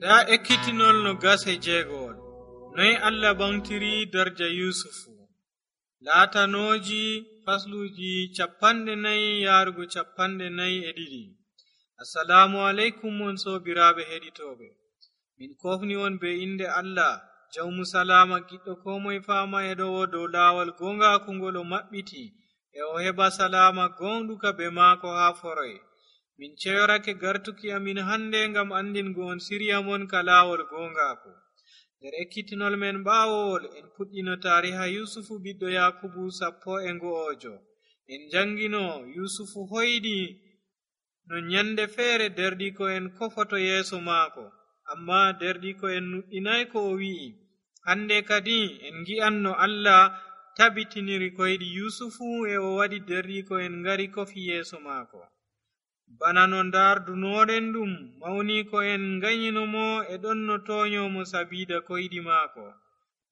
Nda ekkitinol no gase jeegowol. Noy Allah ɓamtiri darja Yusufu. Laatanooji fasluuji 4 yarugo 42. Assalamu alaikum on sobiraaɓe heɗitooɓe. Min kofni on be inde Allah, jawmu salama giɗɗo ko moye fama e ɗowo dow laawol gongaku ngol o maɓɓiti e o heɓa salama gonɗuka be maako haa foroy. Min ceyorake gartuki amin hande ngam andingo on sirya mon ka laawol gongaku. Nder ekkitinol men ɓaawowol en puɗɗino tariha Yusufu ɓiɗɗo Yakubu 11. En jangino Yusufu hoydi no nyande feere derɗiko en kofoto yeeso maako, amma derɗiko en nuɗɗinay ko o wi'i. Hande kadi en gi'an no Allah tabitiniri koyɗi Yusufu e o waɗi derɗiko en ngari kofi yeeso maako. Bana no ndardunoɗen ɗum mawni ko en nganyinomo e ɗon no toonyomo sabida koyɗi maako.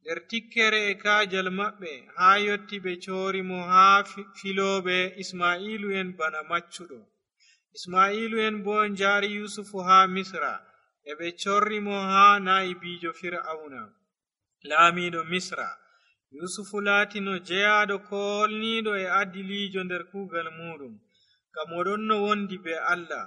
Nder tikkere e kaajal maɓɓe haa yotti ɓe coorimo haa filooɓe Ismailu en bana maccuɗo. Ismailu en bo njaari Yusufu haa Misra e ɓe corrimo haa naa'ibiijo Fir'auna, laamiiɗo Misra. Yusufu laatino jeyaaɗo koolniiɗo e adiliijo nder kuugal muɗum, ngam o ɗon no wondi be Allah.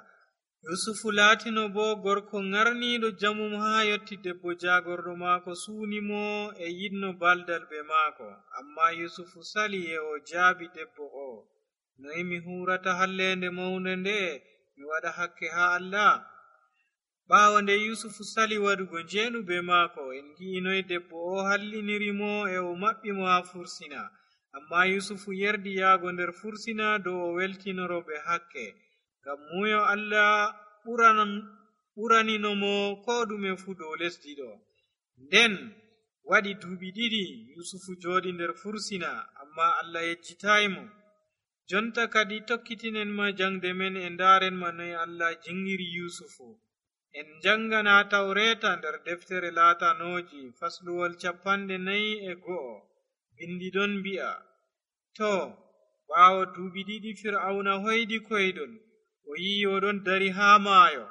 Yusufu laatino bo gorko ngarniiɗo jamum haa yotti debbo jaagorɗo maako suunimo e yiɗno baldal be maako. Amma Yusufu sali e o jaabi debbo o. Noy mi hurata hallende mawnde nde mi waɗa hakke haa Allah? Ɓaawo nde Yusufu sali waɗugo njeenu be maako, en gi'i noy debbo o hallinirimo e o maɓɓimo haa fursina. Amma Yusufu yerdi yaago nder fursina dow o weltinoro ɓe hakke, ngam muyo Allah ɓuraninomo ko ɗume fuu dow lesdi ɗo. Nden waɗi duuɓi 2 Yusufu jooɗi nder fursina, amma Allah yejjitaymo. Jonta kadi tokkitinen ma jangde men e ndaaren ma noy Allah jingiri Yusufu. En jangana Tawreta nder deftere Laatanooji fasluwol 41. Bindi ɗon mbi'a, to ɓaawo duuɓi 2 Fir'auna hoydi koydol, o yi'i oɗon dari haa maayo.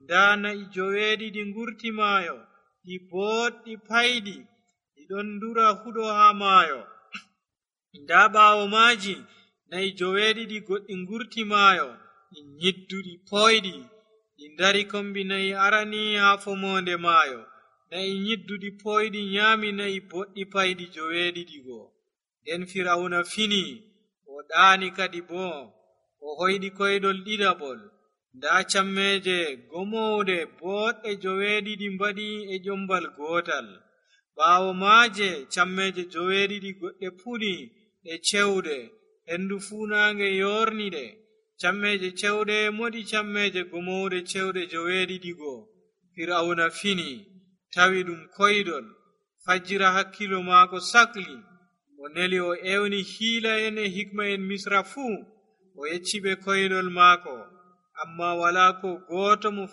Nda na'i 9 ngurti maayo, ɗi boɗɗi paydi, ɗiɗon ndura huɗo haa maayo. Nda ɓaawo maaji na'i 9 goɗɗi ngurti maayo, ɗi nyidduɗi poyɗi, ɗi ndari kombi na'i arani haa fomonde maayo. Na'i nyidduɗi poyɗi nyaami na'i boɗɗi paydi 9 go. Nden Fir'auna fini, o ɗaani kadi bo, o hoyɗi koydol ɗiɗaɓol. Nda cammeje gomowɗe boɗɗe 9 mbaɗi e ƴombal gootal. Ɓaawo maaje cammeje 9 goɗɗe puɗi ɗe cewɗe, hendu fuunaange yorniɗe. Cammeje cewɗe moɗi cammeje gomowɗe cewɗe 9 go. Fir'auna fini, tawi ɗum koydol. Fajjira hakkilo maako sakli, o neli o ewni hiila en e hikma en Misra fuu, o yecci ɓe koydol maako, amma wala ko gooto mo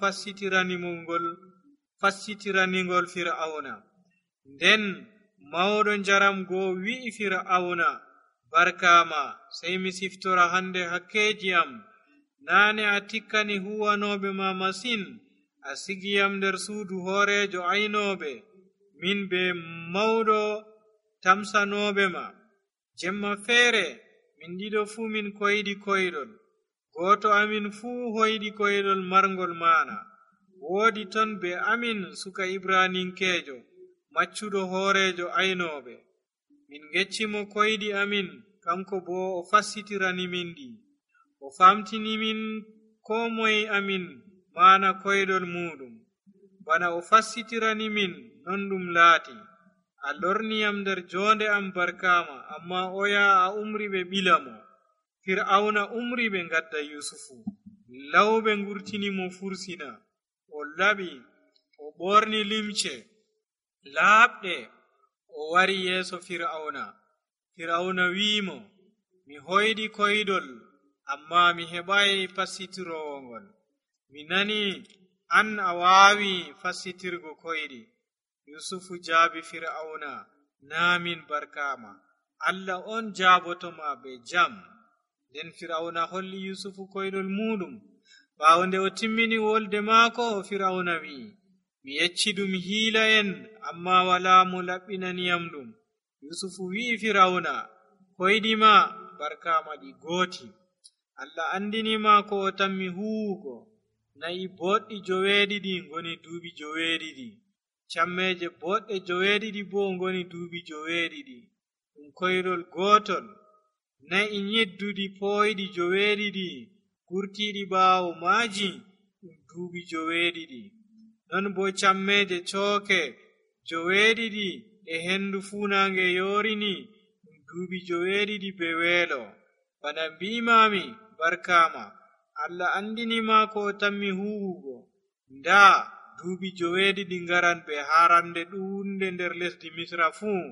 fassitiraningol Fir'auna. Nden mawɗo njaram goo wi'i Fir'auna, barkama, sey mi siftora hande hakkeji am. Naane a tikkani huwanoɓe ma masin, a sigiyam nder suudu hoorejo aynooɓe, min be mawɗo tamsanoɓe ma. Jemma feere min ɗiɗo fuu min koyɗi koydol, gooto amin fuu hoyɗi koydol marngol maana. Woodi ton be amin suka Ibraninkeejo, maccuɗo hoorejo aynooɓe. Min geccimo koyɗi amin, kanko bo o fassitirani min ɗi. O famtini min ko moye amin maana koydol muɗum. Bana o fassitirani min non ɗum laati. A lorniyam nder jonde am barkama, amma oya a umri ɓe ɓilamo. Fir'auna umri ɓe ngadda Yusufu. Lawɓe ngurtinimo fursina. O laɓi, o ɓorni limce laaɓɗe, o wari yeeso Fir'auna. Fir'auna wi'imo, mi hoyɗi koydol, amma mi heɓayi fassitirowol ngol. Mi nani an a waawi fassitirgo koyɗi. Yusufu jaabi Fir'auna, naa min barkama, Allah on jaabotoma be jam. Nden Fir'auna holli Yusufu koydol muɗum. Ɓaawo nde o timmini wolde maako, Fir'auna wi'i, mi yeccidum hiila'en amma walaa mo laɓɓinaniyam ɗum. Yusufu wi'i Firawna, koyɗima barkaama ɗi gooti. Allah andinima ko o tammi huwugo. Na'i boɗɗi 9 ngoni duuɓi 9, cammeje boɗɗe 9 bo ngoni duuɓi 9. Ɗum koyrol gootol. Na'i nyidduɗi pooyɗi 9 gurtiiɗi ɓaawo maaji ɗum duuɓi 9. Non bo cammeje cooke 9 e hendu fuunaange yorini ɗum duuɓi 9 be weelo. Bana mbi'imami barkaama, Allah andinima ko o tammi huwugo. Ndaa duuɓi 9 ngaran be haarande ɗuunde nder lesdi Misra fuu.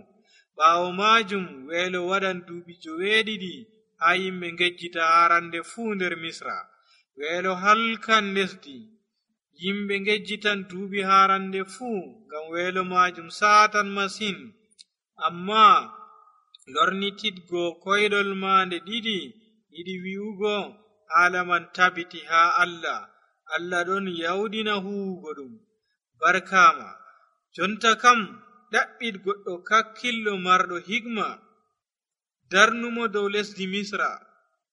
Ɓaawo maajum weelo waɗan duuɓi 9 haa yimɓe ngejjita haarande fuu nder Misra. Weelo halkan lesdi. Yimɓe ngejjitan duuɓi haarande fuu ngam weelo maajum saatan masin. Amma lornitidgo koyɗol maande ɗiɗi yiɗi wi'ugo haala man tabiti haa Allah. Allah ɗon yawdina huwugo ɗum. Barkaama. Jonta kam ɗaɓɓit goɗɗo kakkillo marɗo hikma darnumo dow lesdi Misra.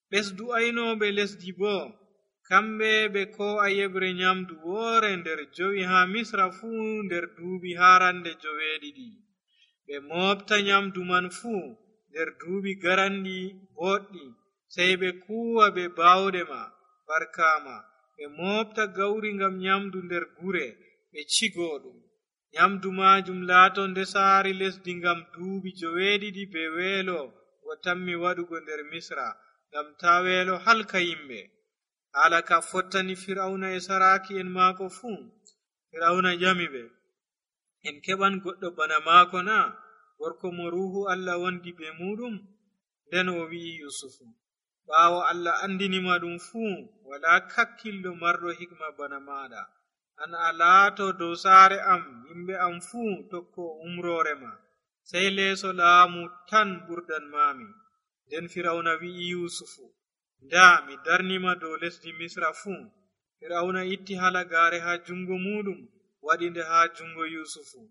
Ɓesdu aynooɓe lesdi bo kamɓe ɓe ko'a yeɓre nyamdu woore nder 5 haa Misra fuu nder duuɓi haarande 9. Ɓe moofta nyamdu man fuu nder duuɓi garanɗi boɗɗi, sey ɓe kuwa be baawɗe ma. Barkaama. Ɓe moofta gawri ngam nyamdu nder gure ɓe cigoo ɗum. Nyamdu maajum laato ndesaari lesdi ngam duuɓi 9 be weelo ngo tammi waɗugo nder Misra, ngam taa weelo halka yimɓe. Haala ka fottani Firawna e saraaki'en maako fuu. Firawna ƴami ɓe, en keɓan goɗɗo bana maako na, gorko mo ruuhu Allah wondi be muɗum? Nden o wi'i Yusufu, ɓaawo Allah andinima ɗum fuu, walaa kakkillo marɗo hikma bana maaɗa. An a laato dow saare am, yimɓe am fuu tokko umroore ma, sey leeso laamu tan ɓurdanmami. Nden Firawna wi'i Yusufu, ndaa mi darnima dow lesdi Misra fuu. Firawna itti halagaare haa jungo muɗum, waɗinde haa jungo Yusufu.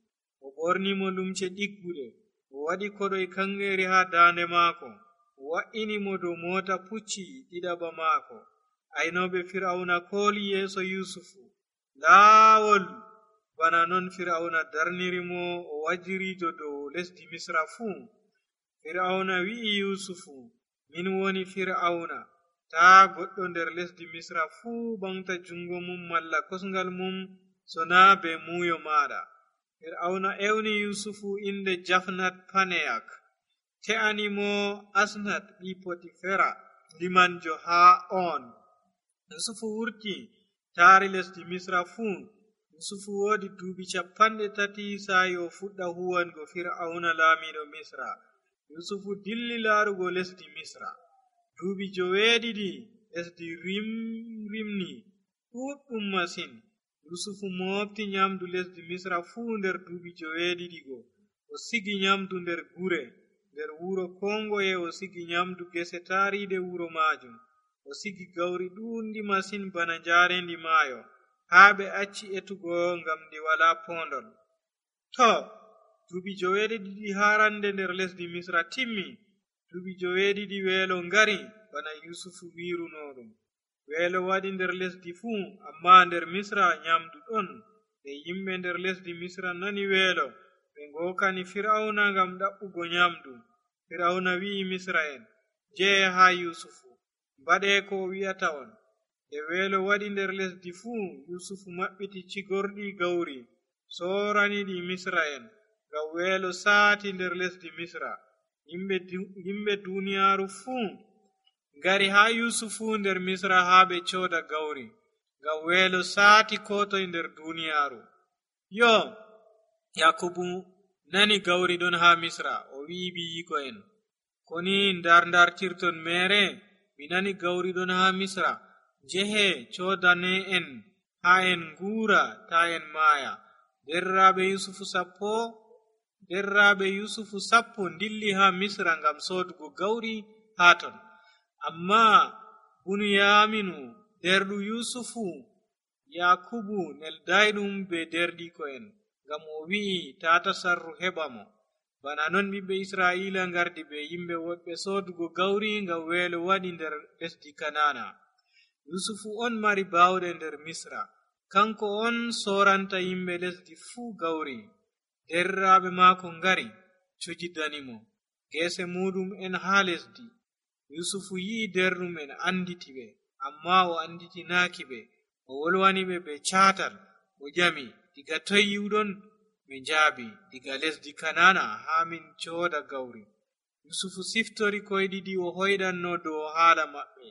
O ɓornimo lumce ɗigguɗe, o waɗi koɗoy kangeeri haa daande maako, o wa'inimo dow moota pucci ɗiɗaɓa maako. Aynooɓe Firawna kooli yeeso Yusufu. Laawol bana non Firawna darnirimo o wajiriijo dow lesdi Misra fuu. Firawna wi'i Yusufu, min woni Firawna. Taa goɗɗo nder lesdi Misra fuu ɓamta jungo mum malla kosngal mum so naa be muuyo maaɗa. Firawna ewni Yusufu inde Jafnat Paneyak, te'animo Asnat ɓi Potifera limanjo haa on. Yusufu wurti taari lesdi Misra fuu. Yusufu woodi duuɓi 30 saayi o fuɗɗa huwango Firawna laamiɗo Misra. Yusufu dilli laarugo lesdi Misra. Duuɓi 9 lesdi rimni ɗuɗɗum masin. Yusufu moofti nyamdu lesdi Misra fuu nder duuɓi 9 go. O sigi nyamdu nder gure. Nder wuro kongoye o sigi nyamdu gese taariide wuro maajum. O sigi gawri ɗuundi masin bana njaarendi maayo, haa ɓe acci etugo ngam ndi walaa poondol. To, duuɓi 9 haarande nder lesdi Misra timmi. Duuɓi 9 weelo ngari bana Yusufu wiirunoɗum. Weelo waɗi nder lesdi fuu, amma nder Misra nyamdu ɗon. Nde yimɓe nder lesdi Misra nani weelo, ɓe ngookani Firawna ngam ɗaɓɓugo nyamdu. Firawna wi'i Misra'en, jehe haa Yusufu, mbaɗee ko o wi'ata on. Nde weelo waɗi nder lesdi fuu, Yusufu maɓɓiti cigorɗi gawri, sooraniɗi Misra'en, ngam weelo saati nder lesdi Misra. Yimɓe duuniyaaru fuu ngari haa Yusufu nder Misra haa ɓe cooda gawri, ngam weelo saati koo toye nder duuniyaaru. Yo, Yakubu nani gawri ɗon haa Misra, o wi'i biyiiko'en, koni ndartirton meere, mi nani gawri ɗon haa Misra. Jehe coodane en haa en nguura taa en maaya. Derraaɓe Yusufu 10 dilli haa Misra ngam soodugo gawri haa ton. Amma Bunyaaminu derɗu Yusufu yakubu neldayɗum be derɗiko'en ngam o wi'i tata sarru heɓa mo. Bana non ɓiɓɓe israila ngardi be yimɓe woɗɓe soodugo gawri ngam weelo waɗi nder lesdi kanana. yusufu on mari bawɗe nder misra, kanko on soranta yimɓe lesdi fuu gawri. derriraɓe maako ngari cujidanimo geese muɗum en haa lesdi. yusufu yi'i derɗum en anditi ɓe, amma o anditinaaki ɓe. o wolwani ɓe be caatal. o ƴami, diga toy yiwɗon? ɓe njaabi, diga lesdi kanana haa min cooda gawri. yusufu siftori koy ɗiɗi o hoyɗanno dow haala maɓɓe.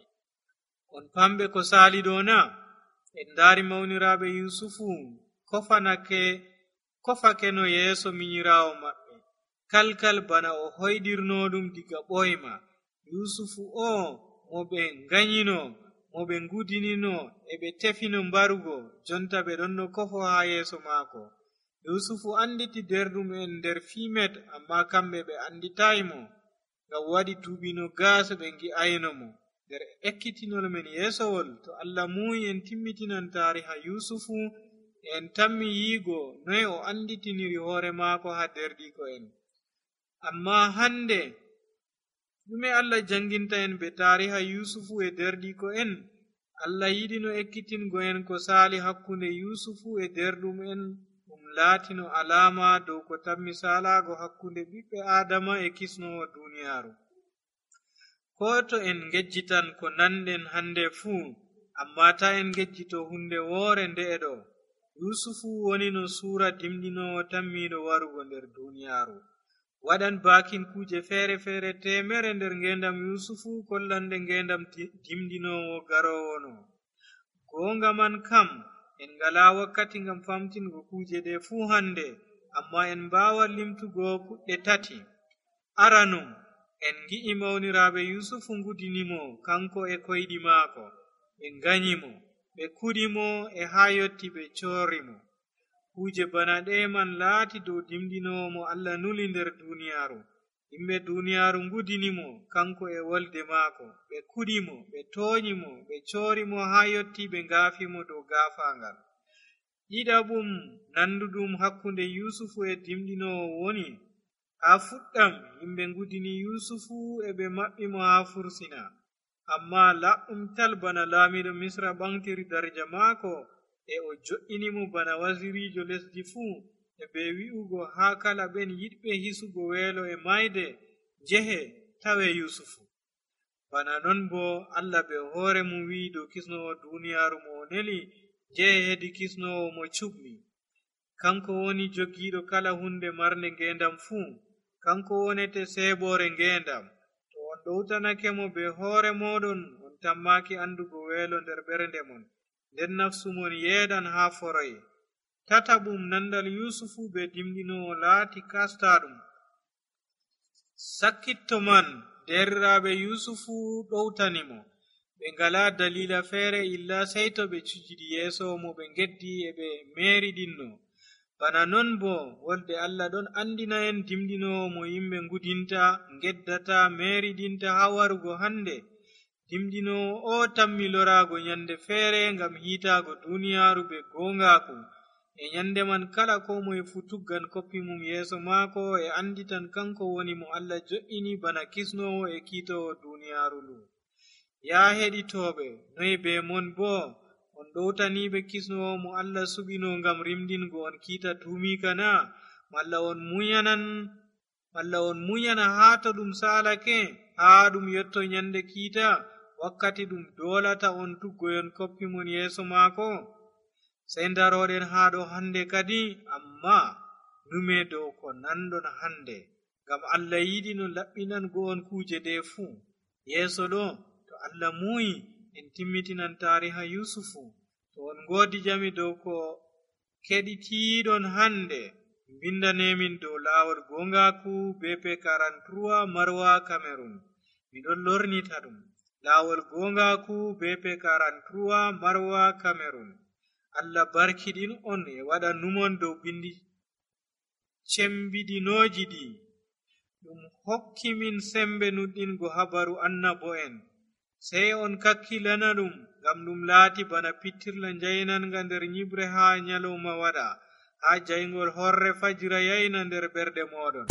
on famɓe ko saali ɗo na? en ndaari mawniraaɓe yusufu kofake no yeeso minyiraawo maɓɓe kalkal bana o hoyɗirnoɗum diga ɓoyma. yusufu o mo ɓe nganyino, mo ɓe ngudinino e ɓe tefino mbarugo, jonta ɓe ɗon no kofo haa yeeso maako. yusufu anditi derɗum en nder fimet, amma kamɓe ɓe anditaymo. ngam waɗi duuɓino gaasa ɓe ngi'ayno mo. nder ekkitinol men yeesowol, to Allah muuyi en timmitinan taariha yusufu, en tammi yiigo noy o anditiniri hoore maako haa derɗiko en. amma hande ɗume Allah janginta en be taariha yusufu e derɗiko en? Allah yiɗino ekkitingo en ko saali hakkunde yusufu e derɗum en, ɗum laatino alama dow ko tammi salaago hakkunde ɓiɓɓe adama e kisnowo duniyaaru. ko to en ngejjitan ko nanɗen hande fuu, amma ta en ngejjito hunde woore nde'e ɗo. yusufu woni no suura dimɗinowo tammiɗo warugo nder duniyaaru. waɗan baakin kuje feere temere nder ngendam yusufu kollande ngendam dimɗinowo garowono. gonga man kam en ngala wakkati ngam famtingo kuje ɗe fuu hande, amma en mbawa limtugo kuɗɗe tati. aranum en gi'i mawniraaɓe yusufu ngudinimo kanko e koyɗi maako. ɓe nganyimo, ɓe kuɗimo e haa yotti ɓe corimo. kuje bana ɗe man laati dow dimɗinowo mo Allah nuli nder duniyaaru. yimɓe duniyaaru ngudinimo kanko e wolde maako. ɓe kuɗimo, ɓe toonyimo, ɓe corimo haa yotti ɓe ngaafimo dow gaafaangal. ɗiɗaɓum nanduɗum hakkunde yusufu e dimɗinowo woni, haa fuɗɗam yimɓe ngudini yusufu e ɓe maɓɓimo haa fursina. amma laɓɗum tal bana laamiɗo misra ɓamtiri darja maako e o jo'inimo bana wasirijo lesdi fuu, e ɓe wi'ugo haa kala ɓen yiɗɓe hisugo weelo e mayde njehe tawe yusufu. bana non bo Allah be hoore mum wi'i dow kisnowo duniyaaru mo o neli, njehe hedi kisnowo mo cuɓmi. kanko woni jogiiɗo kala hunde marnde ngendam fuu. kanko wonete seeɓore ngendam. to on ɗowtanake mo be hoore moɗon, on tammaki andugo weelo nder ɓernde mon, nden nafsu mon yeeɗan haa foroye. tataɓum nandal yusufu be dimɗinowo laati kastaɗum. sakkitto man derriraɓe yusufu ɗowtanimo. ɓe ngala dalila feere illa sey to ɓe cujidi yeeso mo ɓe geddi e ɓe meeriɗinno. bana non bo wolde Allah ɗon andina en dimɗinowo mo yimɓe ngudinta, geddata, meeriɗinta haa warugo hande. dimɗinowo o tammi lorago nyande feere ngam hiitaago duniyaaru be gongaku. e nyande man kala ko moye fu tuggan koppi mum yeeso maako e anditan kanko woni mo Allah jo'ini bana kisnowo e kiitowo duniyaaru ndu. yaa heɗitooɓe, noy be mon bo on ɗowtaniɓe kisnowo mo Allah suɓino ngam rimdingo on kiita tuumika na? malla on munyana haa to ɗum saalake, haa ɗum yotto nyande kiita, wakkati ɗum doolata on tuggoyon koppi mon yeeso maako? sey daroɗen haa ɗo hande kadi, amma nume dow ko nanɗon hande, ngam Allah yiɗi no laɓɓinango on kuje ɗe fuu. yeeso ɗo to Allah muuyi en timmitinan taariha yusufu. to on ngoodi jami dow ko keɗitiiɗon hande, mbindanemin dow laawol gongaku BP 43 Marwa Cameroon. miɗon lornita ɗum laawol gongaku BP 43 Marwa Cameroon. Allah barkiɗin on e waɗa numon dow bindi cembiɗinooji ɗi. ɗum hokki min sembe nuɗɗingo habaru annabo'en. sey on kakkilana ɗum, ngam ɗum laati bana pittirla njaynanga nder nyibre haa nyalawma waɗa, haa jayngol horre fajira yayna nder ɓerɗe mooɗon.